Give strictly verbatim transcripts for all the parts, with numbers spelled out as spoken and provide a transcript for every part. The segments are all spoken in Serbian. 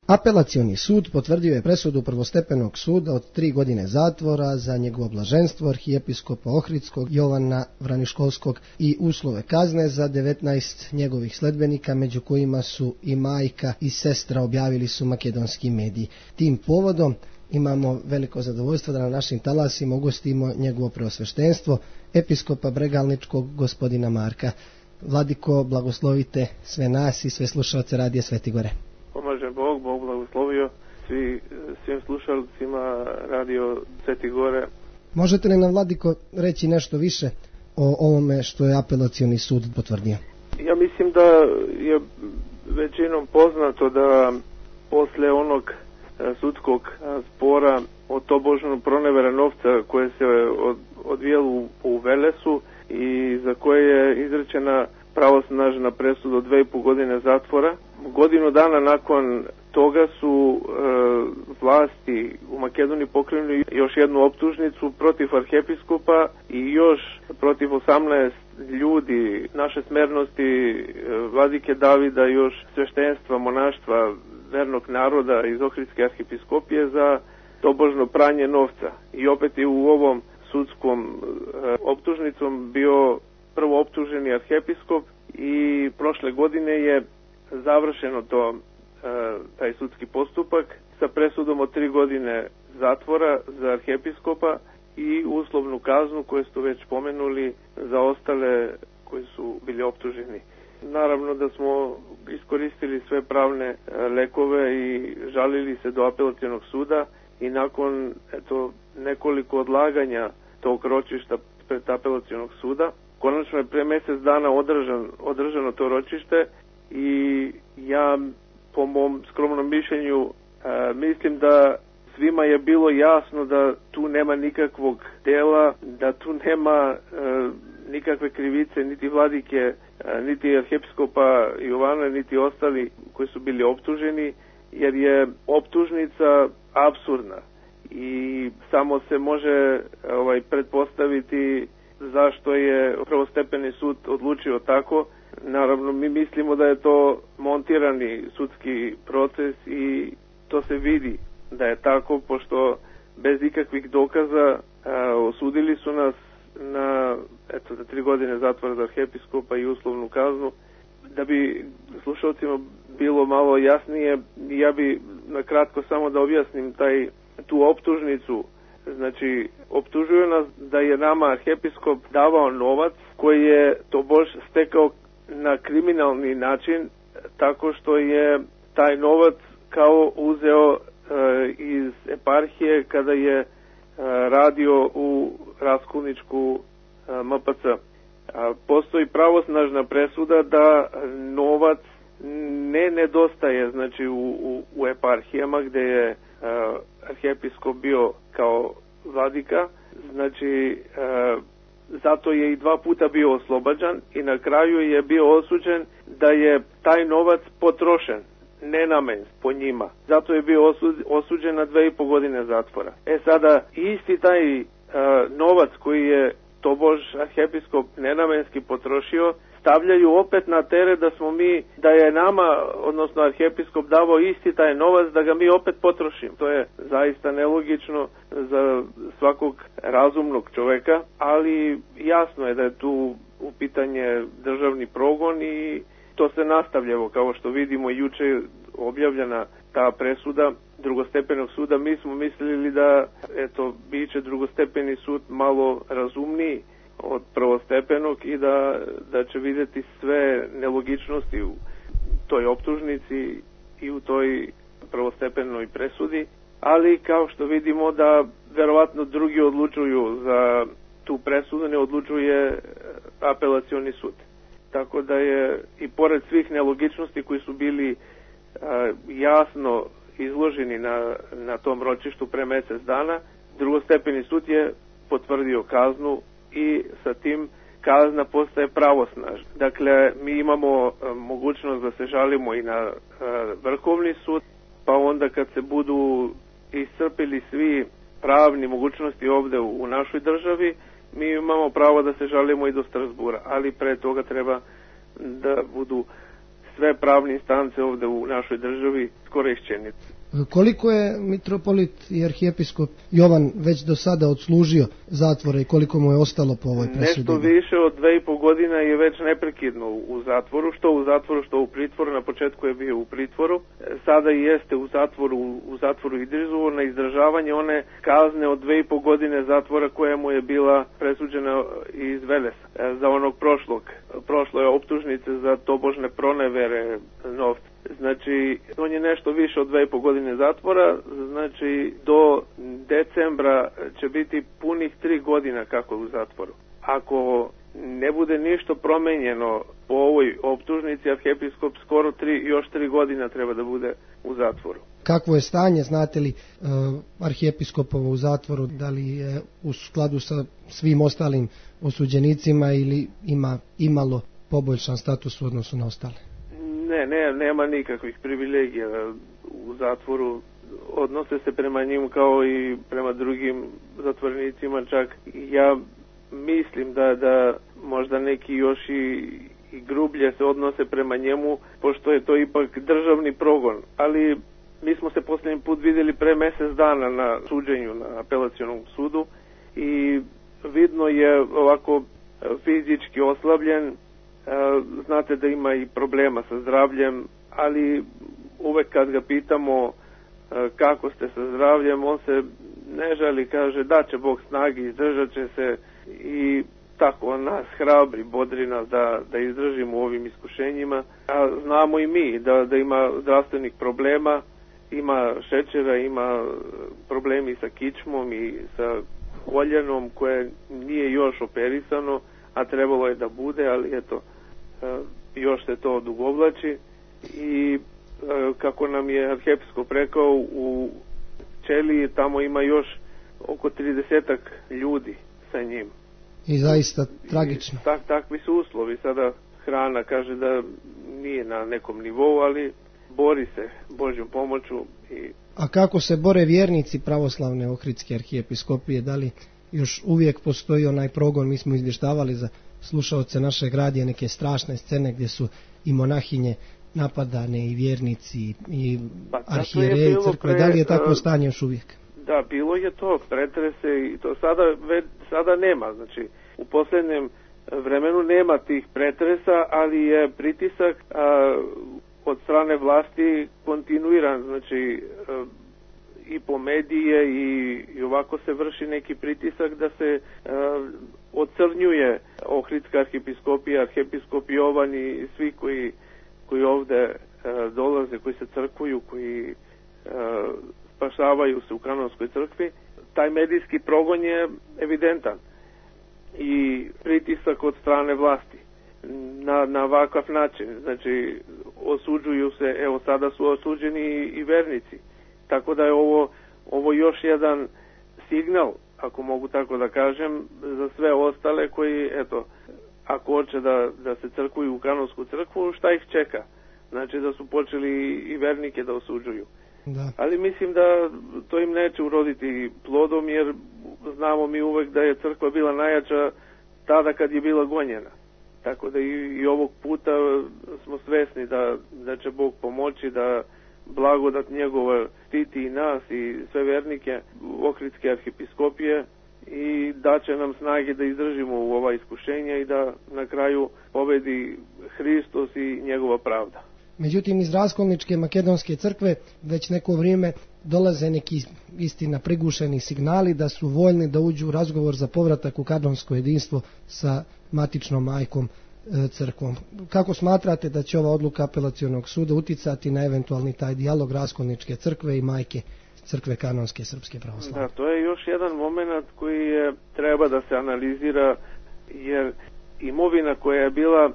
Apelacioni sud potvrdio je presudu prvostepenog suda od tri godine zatvora za njegovo blaženstvo arhijepiskopa Ohridskog Jovana Vraniškovskog i uslove kazne za devetnaest njegovih sledbenika, među kojima su i majka i sestra, objavili su makedonski mediji. Tim povodom imamo veliko zadovoljstvo da na našim talasima ugostimo njegovo preosveštenstvo, episkopa Bregalničkog gospodina Marka. Vladiko, blagoslovite sve nas i sve slušalce Radija Sveti Gore. Pomaže Bog, Bog blagoslovio svi, svim slušalcima Radio Sveti Gore. Možete li nam, Vladiko, reći nešto više o ovome što je apelacioni sud potvrdio? Ja mislim da je većinom poznato da posle onog sudskog spora o tobožnom pronevera novca koje se odvijalo u, u Velesu i za koje je izrečena pravosnažna presuda od dve i po godine zatvora. Godinu dana nakon toga su e, vlasti u Makedoniji pokrenuli još jednu optužnicu protiv arhijepiskopa i još protiv osamnaest ljudi naše smernosti, e, vladike Davida, još sveštenstva, monaštva, vernog naroda iz Ohridske arhijepiskopije za tobožno pranje novca. I opet je u ovom sudskom e, optužnicom bio prvo optuženi arhijepiskop i prošle godine je završeno to, e, taj sudski postupak sa presudom od tri godine zatvora za arhijepiskopa i uslovnu kaznu koju ste već pomenuli za ostale koji su bili optuženi. Naravno da smo iskoristili sve pravne lekove i žalili se do apelacionog suda i nakon eto, nekoliko odlaganja tog ročišta pred apelacionog suda, konačno je pre mjesec dana održan, održano to ročište i ja po mom skromnom mišljenju e, mislim da svima je bilo jasno da tu nema nikakvog dela, da tu nema e, nikakve krivice, niti vladike, e, niti arhijepiskopa Jovana, niti ostali koji su bili optuženi, jer je optužnica apsurdna i samo se može ovaj pretpostaviti zašto je prvostepeni sud odlučio tako. Naravno, mi mislimo da je to montirani sudski proces i to se vidi da je tako, pošto bez ikakvih dokaza a, osudili su nas na eto, za tri godine zatvora za arhijepiskopa i uslovnu kaznu. Da bi slušalcima bilo malo jasnije, ja bi na kratko samo da objasnim taj, tu optužnicu. Znači, optužuju nas da je nama arhijepiskop davao novac koji je tobož stekao na kriminalni način, tako što je taj novac kao uzeo e, iz eparhije kada je e, radio u Raskolničku e, M P C. A, postoji pravosnažna presuda da novac ne nedostaje, znači u, u, u eparhijama gdje je e, arhijepiskop bio kao vladika, znači e, zato je i dva puta bio oslobađan i na kraju je bio osuđen da je taj novac potrošen nenamenski po njima. Zato je bio osuđen na dve i po godine zatvora. E sada, isti taj e, novac koji je tobož arhijepiskop nenamenski potrošio, stavljaju opet na teret da smo mi, da je nama, odnosno arhijepiskop davao isti taj novac da ga mi opet potrošimo. To je zaista nelogično za svakog razumnog čoveka, ali jasno je da je tu u pitanje državni progon i to se nastavlja. Kao što vidimo, juče objavljena ta presuda drugostepenog suda. Mi smo mislili da eto, biće drugostepeni sud malo razumniji od prvostepenog i da, da će vidjeti sve nelogičnosti u toj optužnici i u toj prvostepenoj presudi, ali kao što vidimo da verovatno drugi odlučuju za tu presudu, ne odlučuje apelacioni sud. Tako da je i pored svih nelogičnosti koji su bili a, jasno izloženi na, na tom ročištu pre mjesec dana, drugostepeni sud je potvrdio kaznu i sa tim kazna postaje pravosnažna. Dakle, mi imamo a, mogućnost da se žalimo i na a, Vrhovni sud, pa onda kad se budu iscrpili svi pravni mogućnosti ovdje u, u našoj državi, mi imamo pravo da se žalimo i do Strasbura, ali pre toga treba da budu sve pravne instance ovdje u našoj državi iskorišćeni. Koliko je mitropolit i arhijepiskop Jovan već do sada odslužio zatvora i koliko mu je ostalo po ovoj presudi? Nešto više od dve i po godina je već neprekidno u zatvoru, što u zatvoru, što u pritvoru. Na početku je bio u pritvoru, sada i jeste u zatvoru, u zatvoru Idrizovo na izdržavanje one kazne od dve i po godine zatvora koja mu je bila presuđena iz Velesa za onog prošlog. Prošlo je optužnice za tobožne pronevere novca. Znači, on je nešto više od dve i po godine zatvora, znači do decembra će biti punih tri godina kako je u zatvoru. Ako ne bude ništa promenjeno po ovoj optužnici, arhijepiskop skoro tri, još tri godina treba da bude u zatvoru. Kakvo je stanje, znate li, uh, arhijepiskopovo u zatvoru, da li je u skladu sa svim ostalim osuđenicima ili ima imalo poboljšan status u odnosu na ostale? Ne, ne, nema nikakvih privilegija u zatvoru. Odnose se prema njim kao i prema drugim zatvornicima, čak ja mislim da, da možda neki još i, i grublje se odnose prema njemu, pošto je to ipak državni progon. Ali mi smo se posljednji put vidjeli pre mjesec dana na suđenju na apelacionom sudu i vidno je ovako fizički oslabljen. Znate da ima i problema sa zdravljem, ali uvek kad ga pitamo kako ste sa zdravljem, on se ne žali, kaže da će Bog snagi, izdržat će se i tako on nas hrabri, bodri nas da, da izdržimo u ovim iskušenjima. A znamo i mi da, da ima zdravstvenih problema, ima šećera, ima problemi sa kičmom i sa koljenom koje nije još operisano, a trebalo je da bude, ali eto, još se to odugovlači i kako nam je arhijepiskop rekao, u ćeliji tamo ima još oko tridesetak ljudi sa njim. I zaista tragično. Tak, takvi su uslovi. Sada hrana kaže da nije na nekom nivou, ali bori se Božjom pomoću. I... A kako se bore vjernici pravoslavne Ohridske arhijepiskopije? Da li još uvijek postoji onaj progon? Mi smo izvještavali za slušaoce našeg radija neke strašne scene gdje su i monahinje napadane i vjernici i pa, arhijereji crkve. Pre, da li je takvo stanje još uvijek? Da, bilo je to, pretrese i to sada, već, sada nema. Znači, u posljednjem vremenu nema tih pretresa, ali je pritisak a, od strane vlasti kontinuiran. Znači, a, i po medije i, i ovako se vrši neki pritisak da se a, ocrnjuje Ohridska arhijepiskopija, arhijepiskop Jovan i svi koji, koji ovde a, dolaze, koji se crkvuju, koji a, spašavaju se u kanonskoj crkvi. Taj medijski progon je evidentan i pritisak od strane vlasti na, na ovakav način. Znači, osuđuju se, evo sada su osuđeni i vernici. Tako da je ovo, ovo još jedan signal, ako mogu tako da kažem, za sve ostale koji, eto, ako hoće da, da se crkvuju u kanonsku crkvu, šta ih čeka? Znači da su počeli i vernike da osuđuju. Da. Ali mislim da to im neće uroditi plodom, jer znamo mi uvek da je crkva bila najjača tada kad je bila gonjena. Tako da i, i ovog puta smo svesni da, da će Bog pomoći, da blagodat njegova štiti i nas i sve vernike Ohridske arhijepiskopije i da će nam snage da izdržimo u ova iskušenja i da na kraju pobedi Hristos i njegova pravda. Međutim, iz Raskolničke makedonske crkve već neko vrijeme dolaze neki istina prigušeni signali da su voljni da uđu u razgovor za povratak u kanonsko jedinstvo sa matičnom majkom e, crkvom. Kako smatrate da će ova odluka apelacionog suda uticati na eventualni taj dijalog Raskolničke crkve i majke crkve kanonske srpske pravoslavne? Da, to je još jedan moment koji je, treba da se analizira, jer imovina koja je bila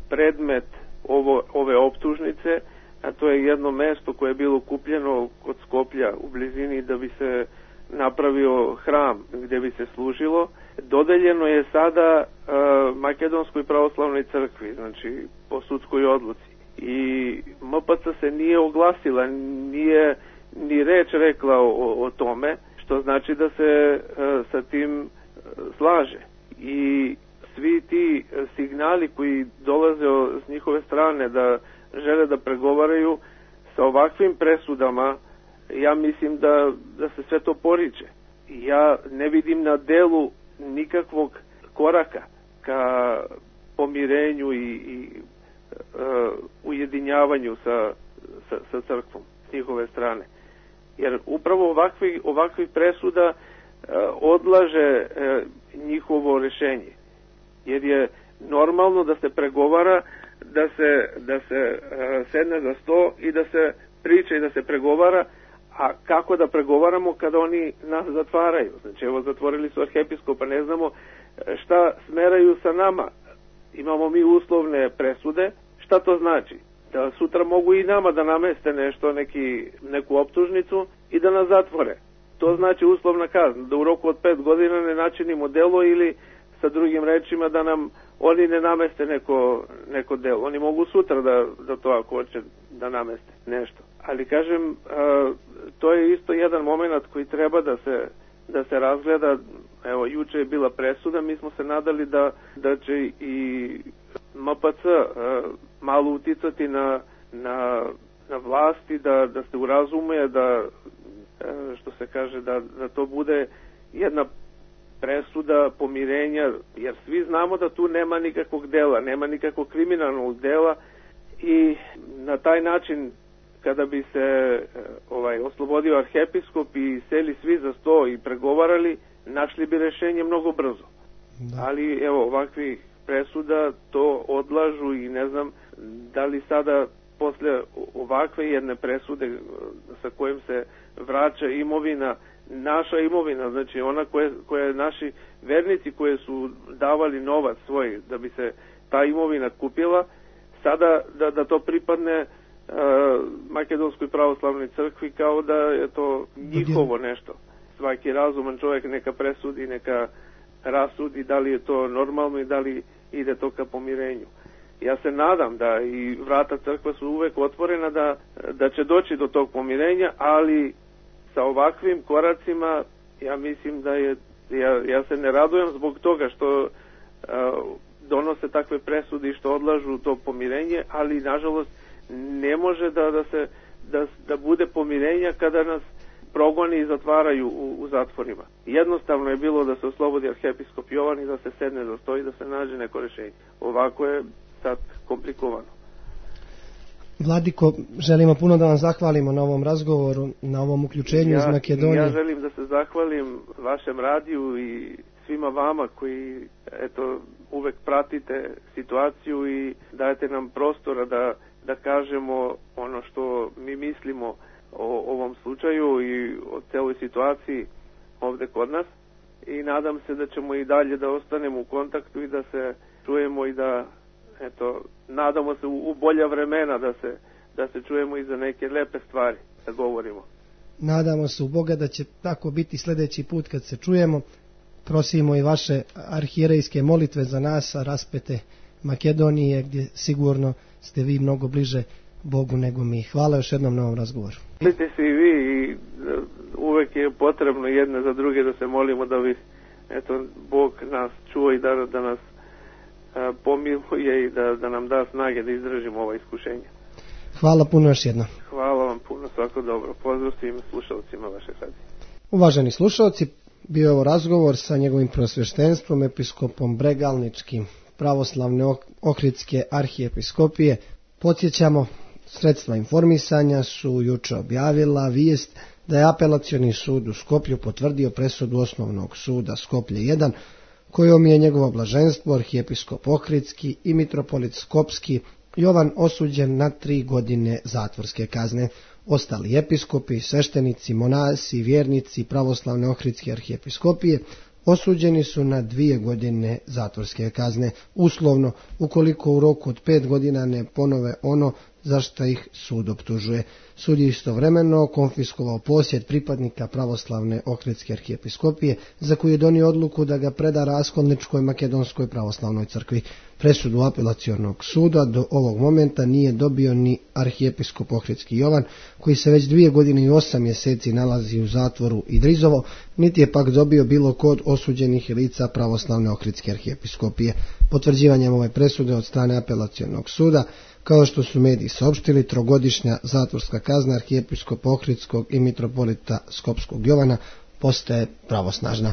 predmet Ovo, ove optužnice, a to je jedno mesto koje je bilo kupljeno kod Skoplja u blizini da bi se napravio hram gdje bi se služilo, dodeljeno je sada uh, Makedonskoj pravoslavnoj crkvi, znači po sudskoj odluci. I M P C se nije oglasila, nije ni reč rekla o, o tome, što znači da se uh, sa tim uh, slaže. I svi ti signali koji dolaze s njihove strane da žele da pregovaraju sa ovakvim presudama, ja mislim da, da se sve to poriče. Ja ne vidim na delu nikakvog koraka ka pomirenju i, i uh, ujedinjavanju sa, sa, sa crkvom s njihove strane. Jer upravo ovakvi, ovakvi presuda uh, odlaže uh, njihovo rešenje. Jer je normalno da se pregovara, da se, da se uh, sedne za sto i da se priča i da se pregovara. A kako da pregovaramo kada oni nas zatvaraju? Znači, evo, zatvorili su arhiepiskopa, ne znamo šta smeraju sa nama. Imamo mi uslovne presude. Šta to znači? Da sutra mogu i nama da nameste nešto, neki, neku optužnicu i da nas zatvore. To znači uslovna kazna, da u roku od pet godina ne načinimo delo ili sa drugim rečima da nam oni ne nameste neko, neko delo. Oni mogu sutra da, da to ako hoće da nameste nešto. Ali kažem, a, to je isto jedan moment koji treba da se, da se razgleda. Evo, juče je bila presuda, mi smo se nadali da, da će i M P C a, malo uticati na, na, na vlasti, da, da se urazume, da, a, što se kaže, da, da to bude jedna presuda pomirenja, jer svi znamo da tu nema nikakvog dela, nema nikakvog kriminalnog dela i na taj način kada bi se ovaj oslobodio arhiepiskop i seli svi za sto i pregovarali, našli bi rešenje mnogo brzo. Da. Ali evo, ovakvih presuda to odlažu i ne znam da li sada posle ovakve jedne presude sa kojim se vraća imovina, naša imovina, znači ona koje, koje naši vernici koje su davali novac svoj da bi se ta imovina kupila, sada da, da to pripadne uh, Makedonskoj pravoslavnoj crkvi kao da je to njihovo nešto. Svaki razuman čovjek neka presudi, neka rasudi da li je to normalno i da li ide to ka pomirenju. Ja se nadam da i vrata crkve su uvek otvorena da, da će doći do tog pomirenja, ali sa ovakvim koracima ja mislim da je, ja, ja se ne radujem zbog toga što uh, donose takve presude i što odlažu to pomirenje, ali nažalost ne može da, da se da, da bude pomirenja kada nas progoni i zatvaraju u, u zatvorima. Jednostavno je bilo da se oslobodi arhiepiskop Jovan i da se sedne za sto i da se nađe neko rešenje. Ovako je sad komplikovano. Vladiko, želimo puno da vam zahvalimo na ovom razgovoru, na ovom uključenju ja, iz Makedonije. Ja želim da se zahvalim vašem radiju i svima vama koji eto uvek pratite situaciju i dajete nam prostora da, da kažemo ono što mi mislimo o ovom slučaju i o celoj situaciji ovde kod nas. I nadam se da ćemo i dalje da ostanemo u kontaktu i da se čujemo i da eto, nadamo se u, u bolja vremena da se, da se čujemo i za neke lepe stvari da govorimo. Nadamo se u Boga da će tako biti sljedeći put kad se čujemo. Prosimo i vaše arhijerejske molitve za nas, a raspete Makedonije, gdje sigurno ste vi mnogo bliže Bogu nego mi. Hvala još jednom na ovom razgovoru. Molite se i vi i uvek je potrebno jedne za druge da se molimo da bi eto, Bog nas čuo i da, da nas pomiluje i da, da nam da snage da izdržimo ova iskušenja. Hvala puno još jednom. Hvala vam puno, svako dobro. Pozdrav svim slušalcima vaše radije. Uvaženi slušalci, bio je ovo razgovor sa njegovim prosvještenstvom, episkopom Bregalničkim pravoslavne Ohridske arhiepiskopije. Podsjećamo, sredstva informisanja su juče objavila vijest da je apelacioni sud u Skoplju potvrdio presudu osnovnog suda Skoplje jedan, kojom je njegovo blaženstvo arhiepiskop Ohridski i mitropolit Skopski Jovan osuđen na tri godine zatvorske kazne. Ostali episkopi, sveštenici, monasi, vjernici pravoslavne Ohridske arhiepiskopije osuđeni su na dvije godine zatvorske kazne, uslovno ukoliko u roku od pet godina ne ponove ono za što ih sud optužuje. Sud je istovremeno konfiskovao posjed pripadnika pravoslavne Ohridske arhiepiskopije, za koju je donio odluku da ga preda Raskolničkoj makedonskoj pravoslavnoj crkvi. Presudu apelacionog suda do ovog momenta nije dobio ni arhiepiskop Ohridski Jovan, koji se već dvije godine i osam mjeseci nalazi u zatvoru Idrizovo, niti je pak dobio bilo kod osuđenih lica pravoslavne Ohridske arhiepiskopije. Potvrđivanjem ove presude od strane apelacionog suda Kao što su mediji saopštili, trogodišnja zatvorska kazna arhijepiskopa Ohridskog i mitropolita Skopskog Jovana postaje pravosnažna.